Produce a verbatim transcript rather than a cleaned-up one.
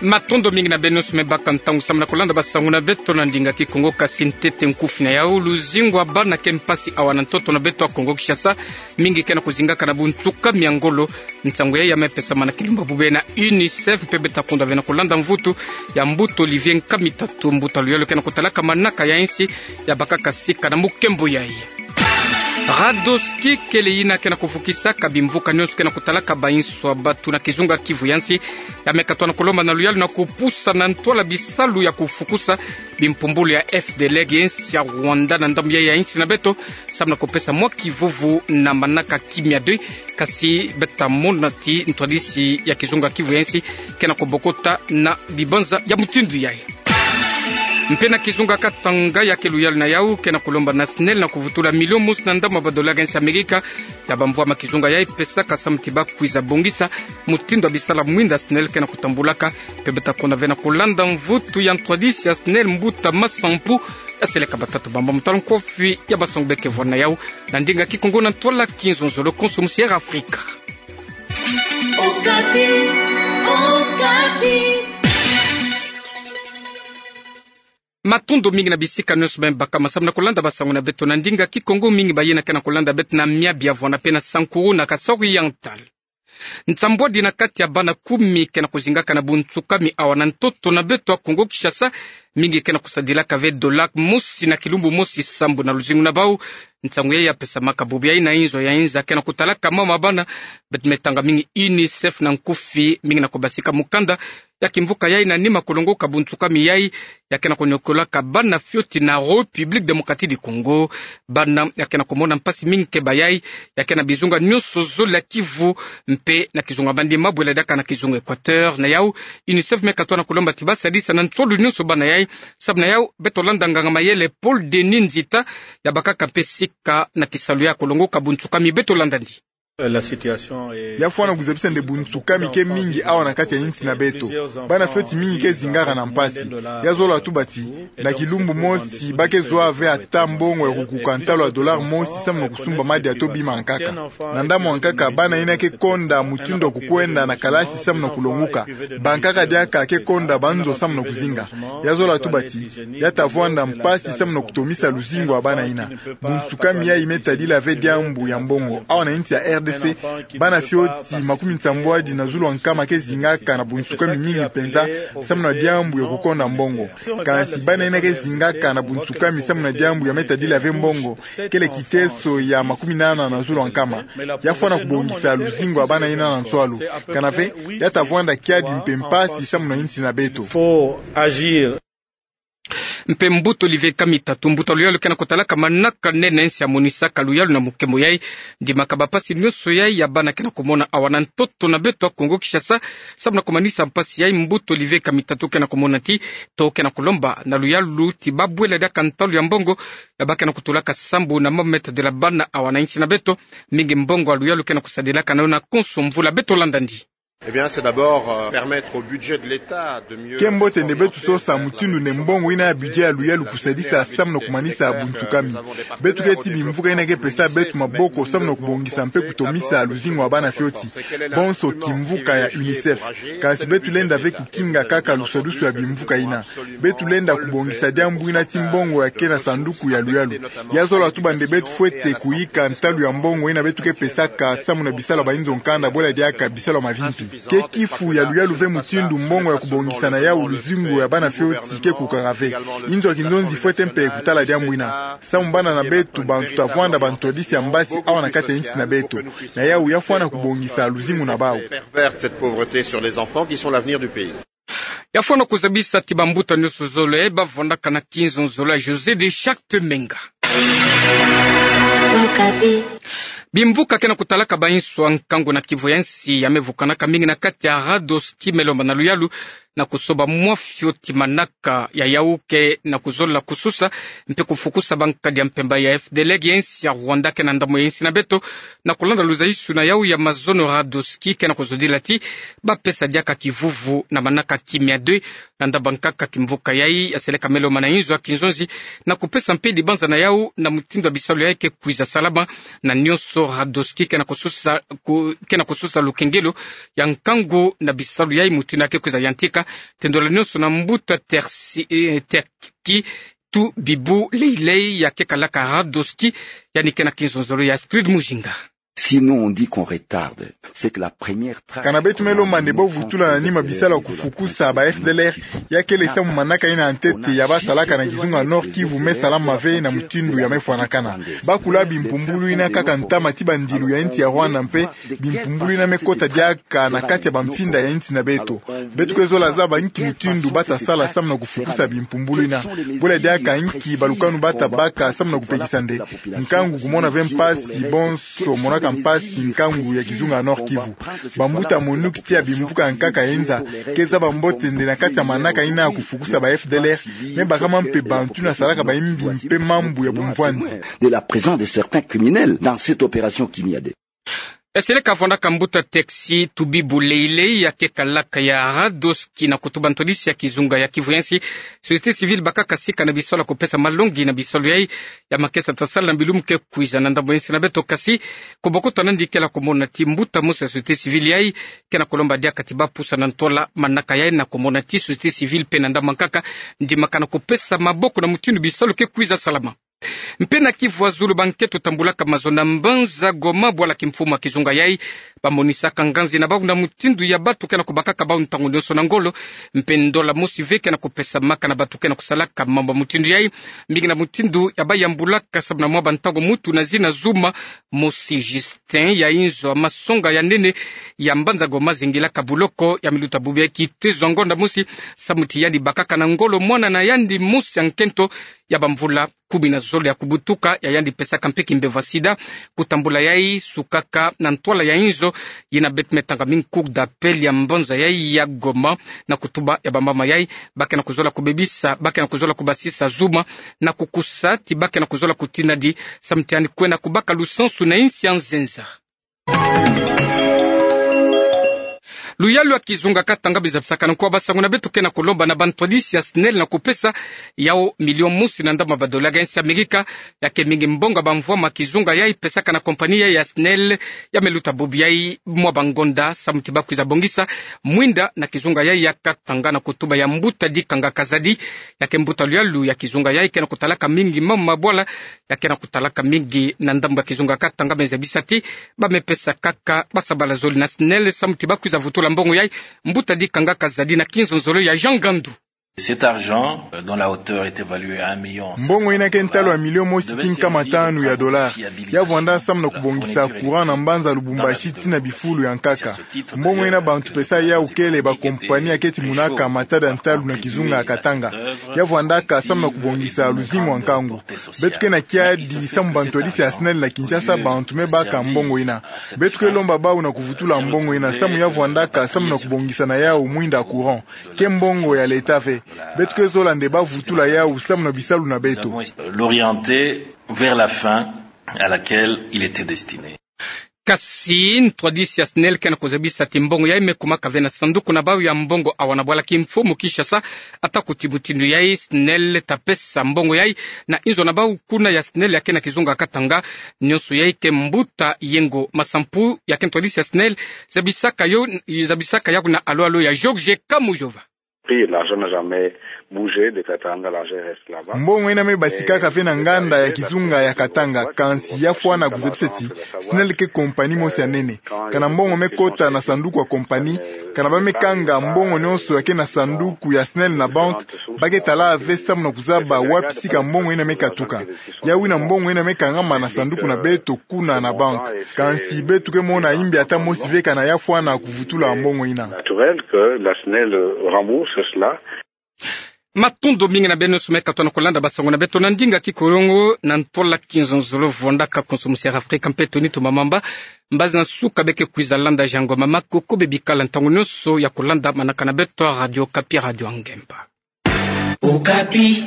Matondo mingi na beno nyonso me baka ntangu samu na kolanda basangu na beto na ndinga Kikongo. Kasi ntete nkufi na yau: luzingu ya bana ke mpasi awa na ntoto na beto ya Kongo Kinshasa. Mingi ke na kuzingaka na bunsuka mia ngolo. Nsangu yai ya me pesama na kilumbu ya bubu na UNICEF, mpe beta kunda ve na kolanda mvutu ya Mbuta Olivier Nkamitatu, mbuta luyalu ke na kutalaka manaka ya insi ya bakaka sika na mukembo yai. Radoski kele yina ke na kuvukisaka bimvuka nyonso ke na kutalaka bainso ya batu na kizunga Kivu ya nsi. Ya me katwa na kulomba na luyalu na kupusa na ntwala bisalu ya kufukusa bimpumbulu ya FDLR ya insi ya Rwanda na ndambu yai ya insi na beto, samu na kupesa mwa kivuvu na manaka kimia de. Kasi beta mona ti ntwadisi ya kizunga Kivu ya nsi ke na kubokota na bibanza ya mutindu yai. Mpe na kizunga Katanga, ya ke luyalu na yau ke na kulomba na SNEL na kuvutula milio mosi na ndambu ya ba dollars ya insi ya Amerika ya bamvwama kizunga yai pesaka samu ti bakwiza bongisa mutindu ya bisalu ya mwinda SNEL ke na kutambulaka. Mpe beta kunda ve na kolanda mvutu ya ntwadisi ya SNEL, mbuta Masampu, ya seleka batata bamba mu tala nkufi ya basangu be ke vwani na yau na ndinga Kikongo na ntwala kinzonzolo konso mu Sierra Afrika. Okapi, Okapi. Matondo mingi na bisika nyonso me baka masamu na kolanda basangu na beto na ndinga Kikongo. Mingi bayina ke na kolanda beto na Miabia, Voana mpe na Sankuru na Kasaï Oriental. Nsambwadi na kati ya bana kumi ke na kuzingaka na bunsukami awa na ntoto na beto ya Kongo Kinshasa. Mingi ke na kusadilaka ve dollar mosi na kilumbu mosi sambu na luzingu na bau. Nsangu yai ya pesamaka bubu yai na inzo ya inza ke na kutalaka mama bana, beto me tanga mingi UNICEF na nkufi, mingi na kubasika mukanda ya kimvuka yai na nima kulongoka bunsukami yai ya ke na kuniokolaka bana fioti na République Démocratique du Congo. Bana ya ke na kumona mpasi mingi keba yai ya ke na bizunga nyonso zole ya Kivu, mpe na kizunga Mandema bwela diaka na kizunga Équateur. Na yau, UNICEF me katwa na kulomba ti basadisa na nsolu nyonso bana yai. Samu na yau, beto landa nganga mayele Paul Denis Nzita, ya bakaka mpe sika na kisalu ya kulongoka bunsukami. Beto landa ndi. Ya fwana kuzabisa nde bunsukami ke mingi awa na kati ya insi na beto. Bana fioti mingi ke zingaka na mpasi. Ya zola tuba ti na kilumbu mosi ba ke zwa ve ata mbongo ya kukuka ntalu ya dollar mosi samu na kusumba madia to bima ya nkaka. Na ndambu ya nkaka, bana yina ke konda mutindu ya kukwenda na kalasi samu na kulongoka. Bankaka diaka ke konda banzo samu na kuzinga. Ya zola tuba ti ya ta vwanda mpasi samu na kutomisa luzingu ya bana yina. Bunsukami yai me tadila ve diambu ya mbongo. Awa na insi ya R D C, bana fioti makumi nsambwadi na zulu ya nkama ke zingaka na bunsukami mingi mpenza samu na diambu ya kukonda mbongo. Kansi bana yina ke zingaka na bunsukami samu na diambu ya me tadila ve mbongo kele kiteso ya makumi nana na zulu ya nkama. Ya fwana kubongisa luzingu ya bana yina na nswalu. Kana ve, ya ta vwanda kiadi mpe mpasi samu na insi na beto. Mpe mbuta Olivier Kamitatu, mbuta luyalu ke na kutalaka manaka nene ya insi ya monisaka luyalu na mukembo yai, ndimaka bampasi nyonso yai ya bana ke na kumona awa na ntoto na beto ya Kongo Kinshasa. Samu na kumanisa mpasi yai, mbuta Olivier Kamitatu ke na kumona ti, to ke na kulomba na luyalu ti babwela diaka ntalu ya mbongo ya ba ke na kutulaka sambu na mama me tadila bana awa na insi na beto. Mingi mbongo ya luyalu ke na kusadilaka na yo na konso mvula. Beto landa ndi. Eh bien, c'est d'abord, euh, permettre au budget de l'État de mieux... Ke mbote nde beto sosa mutindu nde mbongo yina ya budget ya luyalu kusadisa samu na kumanisa bunsukami. Beto keti bimvuka yina ke pesa beto maboko samu na kubongisa mpe kutomisa luzingu ya bana fioti. Bonso kimvuka ya UNICEF. Kansi beto lenda ve kukinga kaka lusadusu ya bimvuka yina. Beto lenda kubongisa diambu yina ti mbongo ya ke na sanduku ya luyalu. Ya zola tuba nde beto fwete kuyika ntalu ya mbongo yina beto ke pesaka samu na bisalu ya bainzo nkanda, bwela diaka bisalu ya mavimpi. Ke kifu ya luyalu ve mutindu mbongo ya kubongisa na yau luzingu ya bana fioti ke kukaka ve. Inzo ya kinzonzi fwete mpe kutala diambu yina. Samu bana na beto bantu ta vwanda bantwadisi ya mbasi awa na kati ya insi na beto. Na yau ya fwana kubongisa luzingu na bau. Pervers cette pauvreté sur les enfants qui sont l'avenir du pays. Ya fwana kuzabisa ti bambuta nyonso zole bavwandaka na kinzonzolo ya José de Charte Menga. Okapi. Bimvuka ke na kutalaka bainso ya nkangu na Kivu ya nsi ya me vukanaka mingi na kati ya Radoski me lomba na luyalu na kusoba mwa fioti manaka ya yau ke na kuzola kususa mpe kufukusa bankadi ya mpemba ya FDLR ya insi ya Rwanda ke na ndambu ya insi na beto, na kulanda luzaisu na yau ya mazono Radoski ke na kuzodila ti bapesa diaka kivuvu na manaka kimia de. Na ndambu ya nkaka, kimvuka yai ya seleka me lomba na inzo ya kinzonzi na kupesa mpe dibanza na yau na mutindu ya bisalu yai ke kwiza salama na nyonso. Radoski ke na kususa, ku-, ke na kususa lukengelo ya nkangu na bisalu yai mutindu ya ke kwiza yantika. Te ndola nionso na mbuta Tersi, eh, Terki Tubibu Leilei ya kekalaka Radoski, yandi ke na kinzonzolo ya Astrid Mujinga. Sinon, on dit qu'on retarde. C'est que la première traque... Kana beto me lomba nde ba vutula na nima bisalu ya kufukusa ba F D L R, ya kele samu manaka ina ya ntete ya basalaka na kizunga Nord-Kivu me salama ve na mutindu ya me fwanakana. Ba kula bimpumbulu ina kaka ntama ti bandilu ya insi ya Rwanda mpe bimpumbulu ina me kota diaka na kati ya bamfinda ya insi na beto. Beto ke zola zaba inki mutindu ba ta sala samu na kufukusa bimpumbulu ina. Bula diaka inki balukanu ba ta baka samu na kupekisa nde nkangu kumona ve mpasi bonso monaka mpasi nkangu ya kizunga Nord-Kivu. Bambuta MONUC tii ya bimvuka ya nkaka ya inza ke zaba mbote nde na kati ya manaka ina ya kufukusa ba F D L R, me bakama mpe bantu ina salaka bayimbi mpe mambu ya bumvwanzi. De la présence de certains criminels dans cette opération Kimia deux. Esele ka vwandaka mbuta Terki Tubibu Leilei ya kekalaka ya Radoski na kutuba ntwadisi ya kizunga ya Kivu ya nsi. Société civile bakaka sika na bisalu ya kupesa malongi na bisalu yai ya makesa ta sala na bilumbu ke kwiza na ndambu ya insi na beto, kasi ku bokoto nandi ke na kumona ti mbuta mosi ya société civile yai ke na kulomba diaka ti ba pusa na ntwala manaka yai, na kumona ti société civile mpe na ndambu ya nkaka ndimbakana kupesa maboko na mutindu bisalu ke kwiza salama. Mpe na Kivu ya zulu, bankento tambulaka mazono na mbanza Goma, bwala kimfumu ya kizunga yai, bamonisaka nganzi na bau na mutindu ya batu ke na kubakaka bau ntangu nionso na ngolo. Mpe ndola mosi ve ke na kupesamaka na batu ke na kusalaka mambu ya mutindu yai, mingi na mutindu ya bayambulaka samu na mwa bantangu mutu na zina Zuma, mosi Justin ya inzo ya masonga ya nene ya mbanza Goma zingilaka buloko ya miluta bubu ya kitezo ya ngonda mosi, samu ti yandi bakaka na ngolo mwana na yandi mosi ya nkento ya bamvula kumi na zole ya kubutuka, ya yandi pesaka mpe kimbevo ya sida. Kutambula yai sukaka na ntwala ya inzo yina beto me tanga mingi cour d'appel ya mbanza yai ya Goma, na kutuba ya bamama yai ba ke na kuzola kubebisa, ba ke na kuzola kubasisa Zuma, na kukusa ti ba ke na kuzola kutinadi samu ti yandi kwenda kubaka lusansu na insi ya nzenza. Luyalu ya kizunga Katanga bizabisaka na nkuwa basangu na beto ke na kulomba na bantwadisi ya SNEL na kupesa yau milion mosi na ndambu ya badola ga insi ya Amerika, ya ke mingi mbongo ya bamvwama kizunga yai pesaka na kompani yai ya SNEL, ya me luta bubu yai mwa bangonda samu ti ba kwiza bongisa mwinda na kizunga yai ya Katanga, na kutuba ya mbuta Dikanga Kazadi, ya ke mbuta luyalu ya kizunga yai ke na kutalaka mingi mama mabwala, ya ke na kutalaka mingi na ndambu ya kizunga Katanga, me zabisa ti ba me pesa kaka basabala zole na SNEL samu ti ba kwiza vutula mbongo yai. Mbuta Dikanga Kazadi na kinzonzolo ya Jean Gandu. Cet argent, euh, dont la hauteur est évaluée à un million cinq cent dollars, mbongo ina ke ntalu ya milion mosi ti nkama tanu ya dola, ya vwanda samu na kubongisa courant na mbanza Lubumbashi tii na bifulu ya nkaka. Mbongo ina bantu pesa yau kele bakompani ya keti munaka matada ntalu na kizunga ya Katanga. Ya vwandaka samu na kubongisa luzingu ya nkangu. Beto ke na kiadi samu bantwadisi ya SNEL na Kinshasa bantu me baka mbongo ina. Beto ke lomba bau na kuvutula mbongo ina samu ya vwandaka samu na kubongisa na yau mwinda courant. Ke mbongo ya leta ve. Beto ke zola nde ba vutula yau samu na bisalu na beto. L'orienter vers la fin à laquelle il était destiné. Kasi ntwadisi ya SNEL ke na kuzabisa ti mbongo yai me kumaka ve na sanduku na bau ya mbongo awa na bwala kimfumu Kinshasa. Ata kuti mutindu yai, SNEL ta pesa mbongo yai na inzo na bau kuna ya SNEL ya ke na kizunga Katanga. Nionso yai ke mbuta Yengo Masampu ya ke ntwadisi ya SNEL zabisaka yo, zabisaka yau na alo alo ya Georges Kamujova. L'argent n'a jamais bougé de Katanga, l'argent reste là-bas. Mbongo ina me basikaka ve na nganda ya kizunga ya Katanga, kansi ya fwana kuzabisa ti SNEL ke kompani mosi ya nene. Kana mbongo me kota na sanduku ya kompani, kana ba me kanga mbongo nionso ya ke na sanduku ya SNEL na banque, ba ke tala ve samu na kuzaba wapi sika mbongo ina me katuka. Yau ina mbongo ina me kangama na sanduku na beto kuna na banque. Kansi beto ke mona imbi ata mosi ve kana ya fwana kuvutula mbongo ina. Naturel que la SNEL rembourse cela. Matondo mingi na beno nionso me katuka na kulanda basangu na beto na ndinga Kikongo na ntola kinzonzolo. Vwandaka konso musi ya Afrika mpe toni tumamamba. Mbazi na nsuka be ke kwiza landa jango mama koko be bikala ntangu nionso ya kulanda manaka na beto Radio Okapi, Radio Ngemba. Okapi.